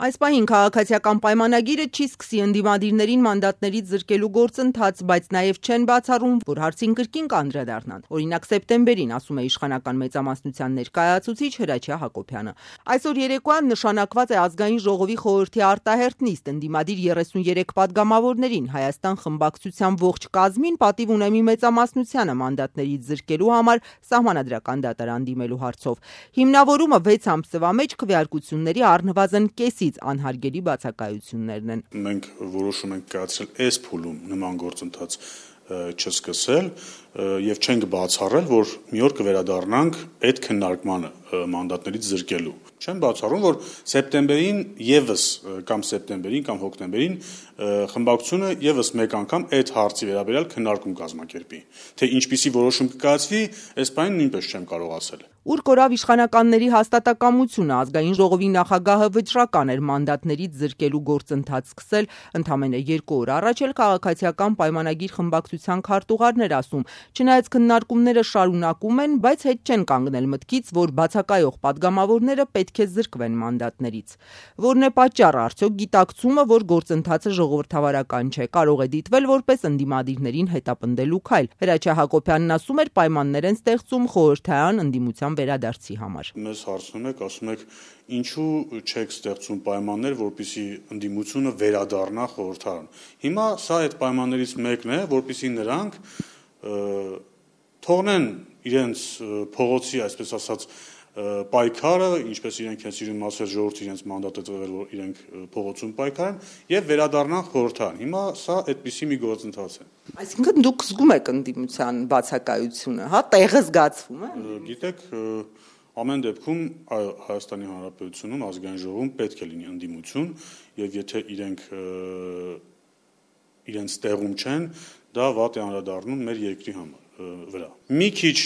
Այս պահին քաղաքացիական պայմանագիրը չի սկսի ընդդիմադիրներին մանդատներից զրկելու գործընթաց, բայց նաև չեն բացառում, որ հարցին կրկին կանդրադառնան։ Օրինակ սեպտեմբերին, ասում է իշխանական մեծամասնության ներկայացուցիչ Հրաչյա Հակոբյանը։ Այսօր երեկոյան նշանակված է Ազգային ժողովի խորհրդի արտահերթ նիստ ընդդիմադիր 33 падգամավորներին Հայաստան խմբակցության ողջ կազմին պատիվ ունեմի մեծամասնությանը մանդատներից զրկելու համար սահմանադրական դատարան դիմելու հարցով։ Հիմնավորումը 6 ամսվա մեջ քվեարկությունների առնվազն կեսից անհարգելի բացակայություններն են։ Մենք որոշում ենք կայացրել այս փուլում նման գործընթաց չսկսել եւ չենք բացառել, որ մի օր կվերադառնանք այդ քննարկմանը մանդատներից զրկելու։ Չեմ բացառում, որ սեպտեմբերին կամ հոկտեմբերին խմբակցությունը եւս մեկ անգամ այդ հարցի վերաբերյալ քննարկում կազմակերպի։ Թե ինչպիսի որոշում կկայացվի, այս բանը նույնպես չեմ կարող ասել։ Ուր կորավ իշխանականների հաստատակամությունը, Ազգային ժողովի նախագահը վճռական էր մանդատներից զրկելու գործընթաց սկսել, ընդամենը 2 օր առաջ էլ քաղաքացիական պայմանագիր խմբակցության քարտուղարն էր ասում, չնայած քննարկումները շարունակում են, բայց հետ չեն կանգնել մտքից, որ բացակայող падգամավորները պետք է զրկվեն մանդատներից։ Որն է պատճառը, արդյոք գիտակցումը, որ գործընթացը ժողովրդավարական չէ, կարող է դիտվել որպես ընդդիմադիրներին հետապնդելու քայլ։ Հրաչյա Հակոբյանն ասում էր, պայմաններ են ստեղծում խորհրդային ընդդիմության վերադարձի համար։ Մեզ հարցնում եք, ասում եք, ինչու չեք ստեղծում պայմաններ, որպեսզի ընդդիմությունը վերադառնա խորհրդարան։ Հիմա սա այդ պայմաններից մեկն է, որպեսզի նրանք թողնեն իրենց փողոցի, այսպես ասած, պայքարը, ինչպես իրենք են սիրում ասել, ժողովուրդը իրենց մանդատը տվել, որ իրենք փողոցում պայքարեն եւ վերադառնան խորհրդարան։ Հիմա սա այդպիսի մի գործընթաց է։ Այսինքն դուք զգում եք ընդդիմության բացակայությունը, հա, տեղը զգացվում է։ Գիտեք, ամեն դեպքում Հայաստանի Հանրապետությունում Ազգային ժողովում պետք է լինի ընդդիմություն եւ եթե իրենց տեղում չեն, դա վատ է անդրադառնում մեր երկրի վրա։ Մի քիչ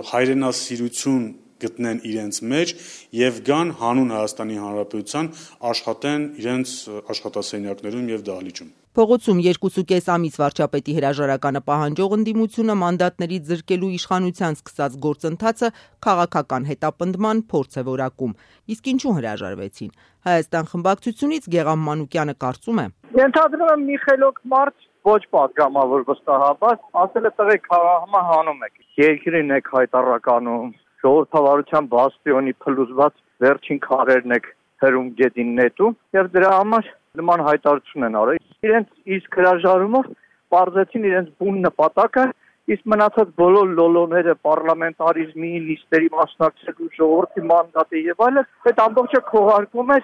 հայրենասիրություն գտնեն իրենց մեջ եւ գան հանուն Հայաստանի Հանրապետության աշխատեն իրենց աշխատասենյակներում եւ դահլիճում։ Փողոցում 2.5 ամիս վարչապետի հրաժարականը պահանջող ընդդիմությունը մանդատներից զրկելու իշխանության սկսած գործընթացը քաղաքական հետապնդման փորձ է որակում։ Իսկ ինչու հրաժարվեցին։ Հայաստան խմբակցությունից Գեղամ Մանուկյանը կարծում է. Ենթադրում եմ մի խելոք մարդ ոչ падգամավոր վստահաբար ասել է տղեկ համա հանում եք։ Երկրին եք հայտարարականում, ժողովրդավարության բաստիոնի փլուզված վերջին քարերն եք հրում գետին նետու եւ դրա համար նման հայտարարություն են արել։ Իրենց իսկ հրաժարումով պարզեցին իրենց բուն նպատակը, իսկ մնացած բոլոր լոլոները պարլամենտարիզմի, նիստերի մասնակցելու, ժողովրդի մանդատի եւ այլն, այդ ամբողջը քողարկում է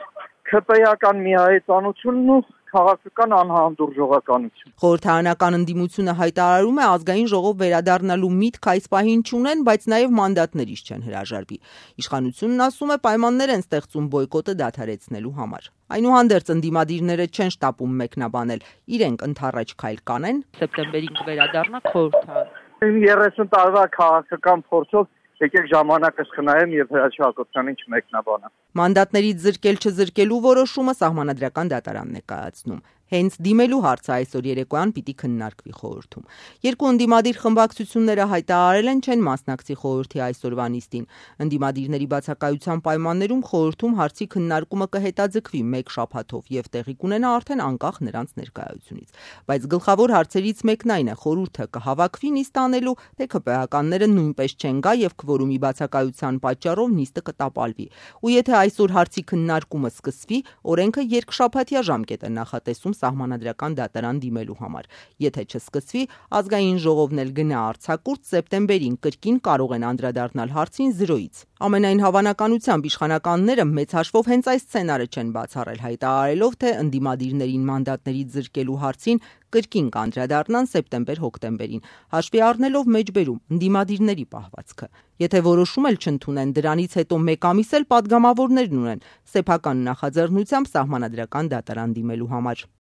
ՔՊ-ական միահեծանությունն ու քաղաքական անհանդուրժողականություն։ Խորհրդարանական ընդդիմությունը հայտարարում է Ազգային ժողով վերադառնալու միտք այս պահին չունեն, բայց նաև մանդատներից չեն հրաժարվի։ Իշխանությունն ասում է պայմաններ են ստեղծում բոյկոտը դադարեցնելու համար։ Այնուհանդերձ ընդդիմադիրները չեն շտապում մեկնաբանել, իրենք ընդառաջ քայլ կանեն։ Սեպտեմբերին կվերադառնա խորհրդարան։ 30 տարվա քաղաքական փորձով եկեք ժամանակս խնայեմ եւ Հրաչյա Հակոբյանին չմեկնաբանեմ։ Մանդատներից զրկել-չզրկելու որոշումը սահմանադրական դատարանն է կայացնում։ Հենց դիմելու հարցը այսօր երեկոյան պիտի քննարկվի խորհրդում։ Երկու ընդդիմադիր խմբակցությունները հայտարարել են չեն մասնակցի խորհրդի այսօրվա նիստին։ Ընդդիմադիրների բացակայության պայմաններում խորհրդում հարցի քննարկումը կհետաձգվի 1 շաբաթով եւ տեղի կունենա արդեն անկախ նրանց ներկայությունից։ Բայց գլխավոր հարցերից մեկն այն է՝ խորհուրդը կհավաքվի նիստ անելու, թե ՔՊ-ականները նույնպես չեն գա եւ քվորումի բացակայության պատճառով նիստը կտապալվի։ Ու եթե այսօր հարցի քննարկումը սկսվի, օրենքը երկշաբաթյա ժամկետ է նախատեսում սահմանադրական դատարան դիմելու համար։ Եթե չսկսվի, Ազգային ժողովն էլ գնա արձակուրդ, սեպտեմբերին կրկին կարող են անդրադառնալ հարցին 0-ից։ Ամենայն հավանականությամբ իշխանականները մեծ հաշվով հենց այս սցենարը չեն բացառել, հայտարարելով, թե ընդդիմադիրներին մանդատներից զրկելու հարցին կրկին կանդրադառնան սեպտեմբեր-հոկտեմբերին, հաշվի առնելով մեջբերում ընդդիմադիրների պահվածքը։ Եթե որոշում էլ չընդունեն, դրանից հետո 1 ամիս էլ падգամավորներն ունեն սեփական նախաձեռնությամբ սահմանադրական դատարան դիմելու համար։